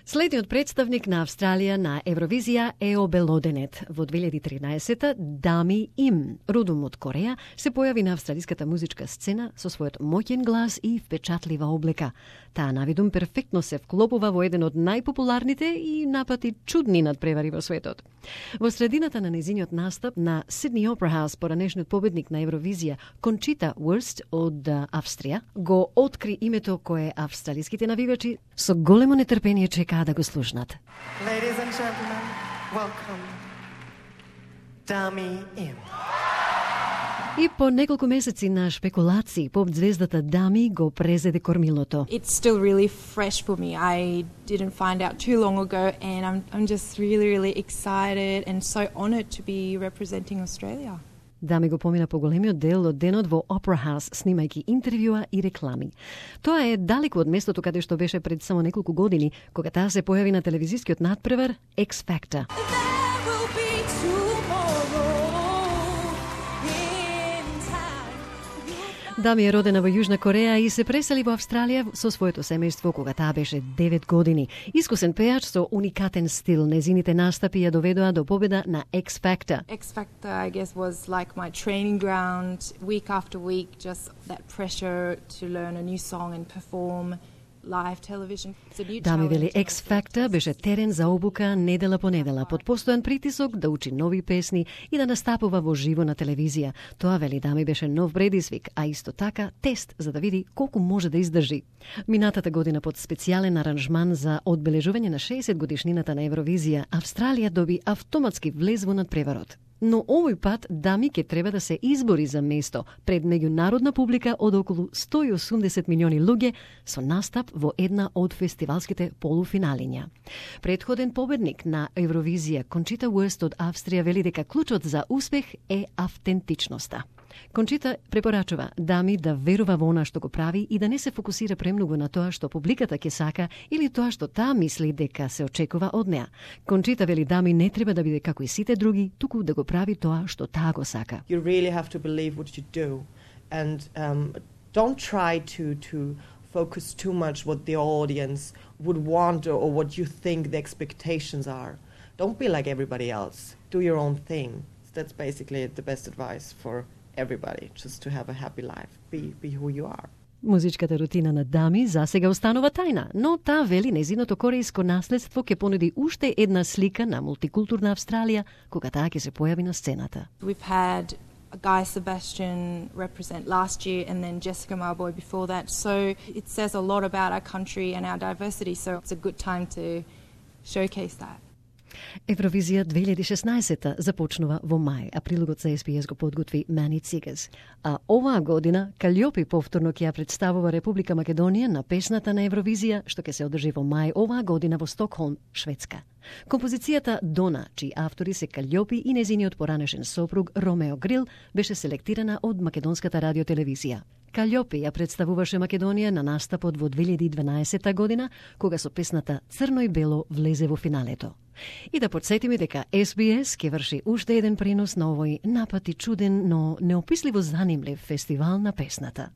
Следниот представник на Австралија на Евровизија е обелоденет. Во 2013 Дами Им, родом од Кореја, се појави на австралиската музичка сцена со својот моќен глас и впечатлива облека. Таа навидум перфектно се вклопува во еден од најпопуларните и напати чудни надпревари во светот. Во средината на нејзиниот настап на Сидни Опера Хаус, поранешниот победник на Евровизија Кончита Вурст од Австрија, го откри името кое австралиските навивачи со големо нетрпение чекаа да го слушнат. Ladies and gentlemen, welcome, Dami Im. И по неколку месеци на шпекулации, поп звездата Дами го презеде кормилото. It's still really fresh for me. I didn't find out too long ago, and I'm just really excited and so honored to be representing Australia. Дами го помина по големиот дел од денот во Опера Хаус, снимајќи интервјуа и реклами. Тоа е далеку од местото каде што беше пред само неколку години, кога таа се појави на телевизискиот надпревар X Factor. Дами е родена во Јужна Кореја и се пресели во Австралија со своето семејство кога таа беше 9 години. Искусен пејач со уникатен стил, незините настапи ја доведоа до победа на X Factor. X Factor, I guess, was like my training ground. Week after week, just that pressure to learn a new song and perform live television. Дами вели, X Factor беше терен за обука недела по недела, под постојан притисок да учи нови песни и да настапува во живо на телевизија. Тоа, вели Дами, беше нов предизвик, а исто така тест за да види колку може да издржи. Минатата година под специјален аранжман за одбележување на 60 годишнината на Евровизија, Австралија доби автоматски влез во надпреварот. Но овој пат Дами ќе треба да се избори за место пред меѓународна публика од околу 180 милиони луѓе со настап во една од фестивалските полуфиналиња. Предходен победник на Евровизија Кончита Вурст од Австрија вели дека клучот за успех е автентичноста. Кончита препорачува Дами да верува во она што го прави и да не се фокусира премногу на тоа што публиката ќе сака или тоа што таа мисли дека се очекува од неа. Кончита вели Дами не треба да биде како и сите други, туку да го прави тоа што таа го сака. You really have to believe what you do, and don't try to focus too much what the audience would want or what you think the expectations are. Don't be like everybody else. Do your own thing. That's basically the best advice for everybody, just to have a happy life. Be who you are. Музичката рутина на Дами засега останува тајна, но таа вели незиното корејско наследство ќе понуди уште една слика на мултикултурна Австралија кога таа ќе се појави на сцената. We've had Guy Sebastian represent last year and then Jessica Mauboy before that. So it says a lot about our country and our diversity, so it's a good time to showcase that. Евровизија 2016 започнува во мај, а прилогот за SBS го подготви Мани Цигас. А оваа година Калјопи повторно ќе ја представува Република Македонија на песната на Евровизија, што ќе се одржи во мај оваа година во Стокхолм, Шведска. Композицијата Дона, чии автори се Калјопи и незиниот поранешен сопруг Ромео Грил, беше селектирана од Македонската радиотелевизија. Калјопи ја представуваше Македонија на настапот во 2012 година, кога со песната Црно и бело влезе во финалето. И да подсетиме дека SBS ќе врши уште еден пренос на овој напати чуден, но неописливо занимлив фестивал на песната.